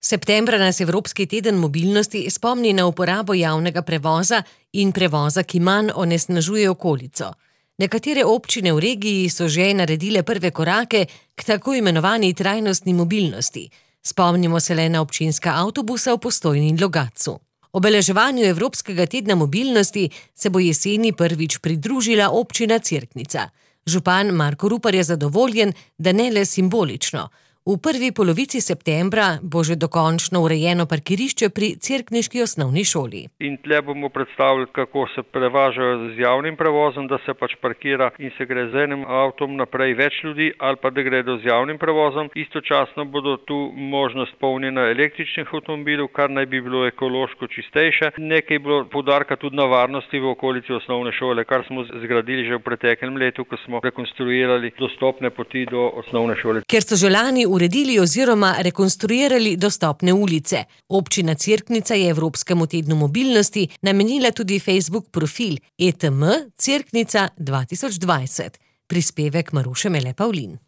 Septembra nas Evropski teden mobilnosti spomni na uporabo javnega prevoza in prevoza, ki manj onesnažuje okolico. Nekatere občine v regiji so že naredile prve korake k tako imenovani trajnostni mobilnosti. Spomnimo se le na občinska avtobusa v Postojni in Logatcu. Obeleževanju Evropskega tedna mobilnosti se bo jeseni prvič pridružila občina Cerknica. Župan Marko Rupar je zadovoljen, da ne le simbolično. V prvi polovici septembra bo že dokončno urejeno parkirišče pri cerkniški osnovni šoli. In tle bomo predstavili, kako se prevažajo z javnim prevozom, da se parkira in se gre z enim avtom naprej več ljudi ali pa da gredo z javnim prevozom. Istočasno bodo tu možnost polnjenja električnih avtomobilov, kar naj bi bilo ekološko čistejše. Nekaj je bilo poudarka tudi na varnosti v okolici osnovne šole, kar smo zgradili že v preteklem letu, ko smo rekonstruirali dostopne poti do osnovne šole. Ker so že lani uredili oziroma rekonstruirali dostopne ulice. Občina Cerknica je Evropskemu tednu mobilnosti namenila tudi Facebook profil ETM Cerknica 2020. Prispevek Maruše Mele Pavlin.